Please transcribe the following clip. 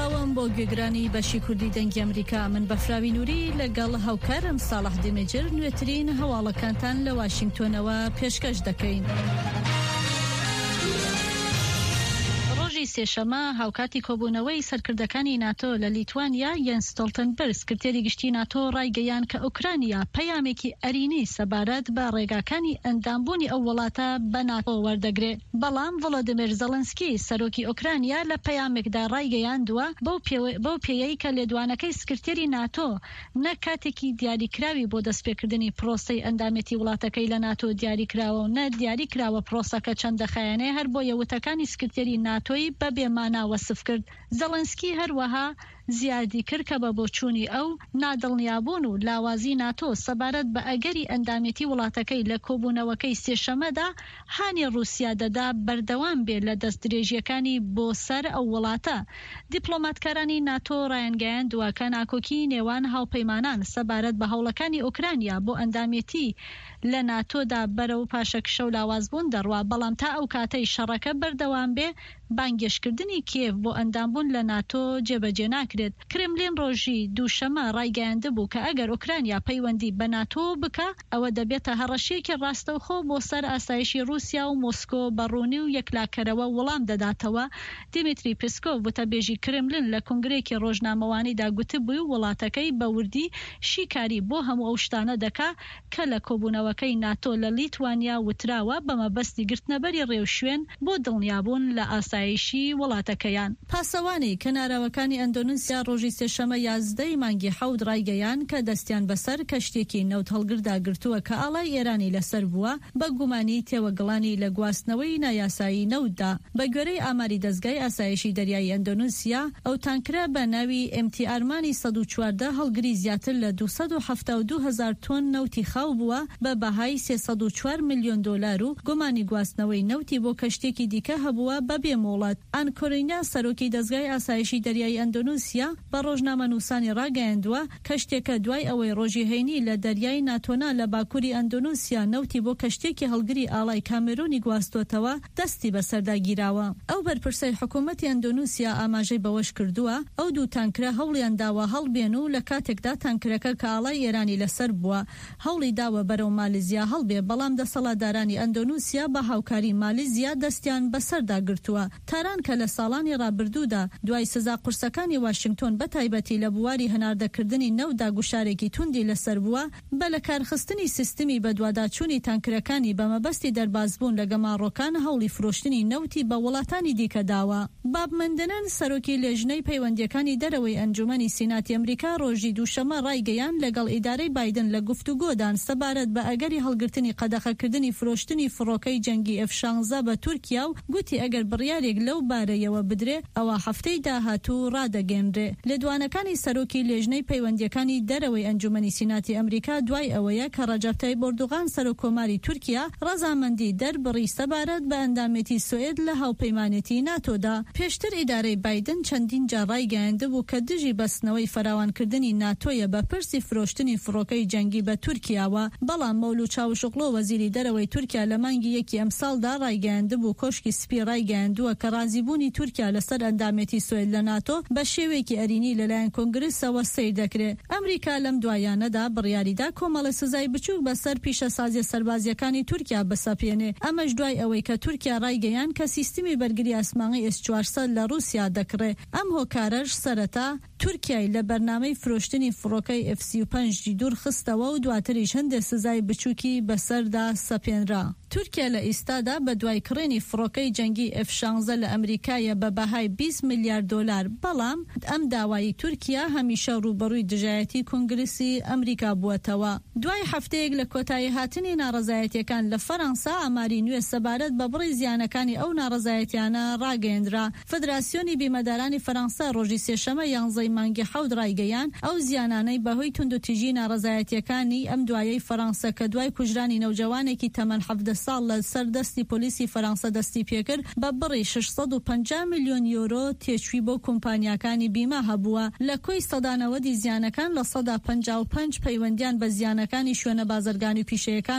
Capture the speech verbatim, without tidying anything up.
سڵاوم بۆ گوێگرانی بەشی کوردی دەنگی ئەمریکا. من بەفراوی نووری لەگەڵ هاوکارم ساڵح دیمەجر نوێترین هەواڵەکانتان لە واشنگتۆنەوە پێشکەش دەکەین. ڕۆژی سێشەمە هاوکاتی کۆبوونەوەی سەرکردەکانی ناتۆ لە لیتوانیا، یەنس ستۆڵتنبرگ سکرتێری گشتی ناتۆ ڕایگەیاند کە ئۆکرانیا پەیامێکی ئەرینی سەبارەت بە ڕێگاکانی ئەندامبوونی ئەو وڵاتە بە ناتۆ وەردەگرێ. بەڵام ڤڵۆدیمیر زەڵنسکی سەرۆکی ئۆکرانیا لە پەیامێکدا ڕایگەیاندووە بەو پێیەی کە لێدوانەکەی سکرتێری ناتۆ نە کاتێکی دیاریکراوی بۆ دەستپێکردنی پرۆسەی ئەندامێتی وڵاتەکەی لە ناتۆ دیاریکراوە و نە دیاریکراوە پرۆسەکە چەند دەخایەنێ، هەر بۆیە وتەکانی سکرتێری ناتۆی بە بێمانا وەسف کرد. زەڵنسکی هەروەها زیادی کرد کە بە بۆچوونی ئەو، نادڵنیابوون و لاوازی ناتۆ سەبارەت بە ئەگەری ئەندامێتی وڵاتەکەی لە کۆبوونەوەکەی سێشەمەدا هانی ڕووسیا دەدا بەردەوام بێ لە دەستدرێژییەکانی بۆ سەر ئەو وڵاتە. دیپلۆماتکارانی ناتۆ ڕایانگەیاندووە کە ناکۆکی نێوان هاوپەیمانان سەبارەت بە هەوڵەکانی ئۆکرانیا بۆ ئەندامێتی لە ناتۆدا بەرەو پاشەکشە و لاوازبوون دەڕوا، بەڵام تا ئەو کاتەی شەڕەکە بەردەوام بێ بانگێشتکردنی کیێڤ بۆ ئەندامبوون لە ناتۆ جێبەجێ ناکرێت. کرملین ڕۆژی دووشەمە ڕایگەیاندبوو کە ئەگەر ئۆکرانیا پەیوەندی بە ناتۆ بکا، ئەوە دەبێتە هەڕەشەیەکی ڕاستەوخۆ بۆ سەر ئاسایشی ڕووسیا و مۆسکۆ بە ڕوونی و یەکلاکەرەوە وڵام دەداتەوە. دیمیتری پسکۆڤ وتەبێژی کرملین لە کۆنگرەیەکی ڕۆژنامەوانیدا گوتبووی وڵاتەکەی بە وردی شیکاری بۆ هەموو ئەو شتانە دەکا کە لە کۆبوونەوەکەی ناتۆ لە لیتوانیا وتراوە بە مەبەستی گرتنەبەری ڕێوشوێن بۆ دڵنیابوون لە ئاسایشی وڵاتەکەیان. پاسەوانی کەناراوەکانی ئەندۆنیسیا ڕۆژی سێشەمە یازدە ی مانگی حەوت ڕایگەیاند کە دەستیان بەسەر کەشتییەکی نەوتهەڵگردا گرتووە کە ئاڵای ئێرانی لەسەر بووە بە گومانی تێوەگڵانی لە گواستنەوەی نایاسایی نەوتدا. بە گوێرەی ئاماری دەزگای ئاسایشی دەریایی ئەندۆنیسیا، ئەو تانکرە بە ناوی ئێم تی ئارمانی سەد و چواردە هەڵگری زیاتر لە دوو سەد و حەفتا و دوو هەزار تۆن نەوتی خاو بووە بە بەهای سێ سەد و چوار ملیۆن دۆلار و گومانی گواستنەوەی نەوتی بۆ کەشتییەکی دیکە هەبووە بەبێ مۆڵەت. ئان کۆرینا، سەرۆکی دەزگای ئاسایشی دەریایی ئەندۆنیسیا، بە ڕۆژنامەنووسانی ڕاگەیاندووە، کەشتییەکە دوای ئەوەی ڕۆژی هەینی لە دەریای ناتۆنا لە باکووری ئەندۆنیسیا نەوتی بۆ کەشتییەکی هەڵگری ئاڵای کامێرۆنی گواستۆتەوە، دەستی بەسەردا گیراوە. ئەو بەرپرسەی حکوومەتی ئەندۆنیسیا ئاماژەی بەوەش کردووە، ئەو دوو تانکرە هەوڵیان داوە هەڵبێن و لە کاتێکدا تانکرەکە کە ئاڵای ئێرانی لەسەر بووە هەوڵی داوە بەرەو مالیزیا هەڵبێ، بەڵام دەسەڵاتدارانی ئەندۆنیسیا بە هاوکاری مالیزیا دەستیان بەسەردا گرتووە. تاران کە لە ساڵانی ڕابردوودا دوای سزا قورسەکانی واشنگتۆن بە تایبەتی لە بواری هەناردەکردنی نەوتدا گوشارێکی توندی لەسەر بووە، بە لەکارخستنی سیستمی بەدواداچوونی تانکرەکانی بە مەبەستی دەربازبوون لە گەماڕۆکان هەوڵی فرۆشتنی نەوتی بە وڵاتانی دیکە داوە. باب مندنن، سەرۆکی لێژنەی پەیوەندییەکانی دەرەوەی ئەنجومەنی سیناتی ئەمریکا ڕۆژی دووشەممە ڕایگەیاند لەگەڵ ئیدارەی بایدن لە گفتوگۆدان سەبارەت بە ئەگەری هەڵگرتنی قەدەخەکردنی فرۆشتنی فڕۆکەی جەنگی ئێف شانزە بە تورکیا و گوتی ئەگەر بڕیارێک لەو بارەیەوە بدرێ ئەوا هەفتەی داهاتوو ڕادەگەنرێ. لێدوانەکانی سەرۆکی لێژنەی پەیوەندییەکانی دەرەوەی ئەنجومەنی سیناتی ئەمریکا دوای ئەوەیە کە ڕەجەب تەیب ئۆردوغان سەرۆک کۆماری تورکیا ڕەزامەندی دەربڕی سەبارەت بە ئەندامێتی سوئێد لە هاوپەیمانێتی ناتۆدا. پێشتر ئیدارەی بایدن چەندین جار ڕایگەیاندبوو کە دژی بەستنەوەی فراوانکردنی ناتۆیە بە پرسی فرۆشتنی فڕۆکەی جەنگی بە تورکیاوە، بەڵام مەولود چاوشئۆغلۆ وەزیری دەرەوەی تورکیا لە مانگی یەکی ئەمساڵدا ڕایگەیاندبوو کۆشکی سپی ڕایگەیاندووە کە ڕازیبوونی تورکیا لەسەر ئەندامێتی سوئێد لە ناتۆ بە شێوەیەکی ئەرینی لەلایەن کۆنگرسەوە سەیر دەکرێ. ئەمریکا لەم دواییانەدا بڕیاریدا کۆمەڵە سزای بچووک بەسەر پیشەسازیە سەربازییەکانی تورکیا بسەپێنێ، ئەمەش دوای ئەوەی کە تورکیا ڕایگەیاند کە سیستمی بەرگری ئاسمانی ئێس چوار سەد لە ڕووسیا دەکڕێ، ئەم هۆکارەش سەرەتا تورکیای لە بەرنامەی فرۆشتنی فڕۆکەی ئێف سی و پەنج دوور خستەوە و دواتریش هەندێ سزای بچووکی بەسەردا سەپێنرا. تورکیا لە ئیستادا بە دوای کڕینی فڕۆکەی جەنگی ئێف شانزە لە ئەمریکایە بە بەهای بیست ملیار دۆلار، بەڵام ئەم داوایەی تورکیا هەمیشە ڕووبەڕووی دژایەتی کۆنگرسی ئەمریکا بووەتەوە. دوای هەفتەیەک لە کۆتاییهاتنی ناڕەزایەتییەکان لە فەرەنسا، ئاماری نوێ سەبارەت بە بڕی زیانەکانی ئەو ناڕەزایەتیانە ڕاگەیەندرا. فدراسیۆنی بیمەدارانی فەرەنسا ڕۆژی سێشەمە یانزەی مانگی حەوت ڕایگەیاند، ئەو زیانانەی بەهۆی توندوتیژی ناڕەزایەتییەکانی ئەم دوایەی فەرەنسا کە دوای کوژرانی نەوجەوانێکی تەمەن حەڤدە ساڵ لە سەر دەستی پۆلیسی فەرەنسا دەستیپێکرد بە بڕی شەش سەد و پەنجا ملیۆن یۆرۆ تێچووی بۆ کۆمپانیاکانی بیمە هەبووە. لە کۆی سەدا نەوەدی زیانەکان لە سەدا پەنجا و پەنج پەیوەندیان بە زیانەکانی شوێنە بازرگانی و پیشەیەکان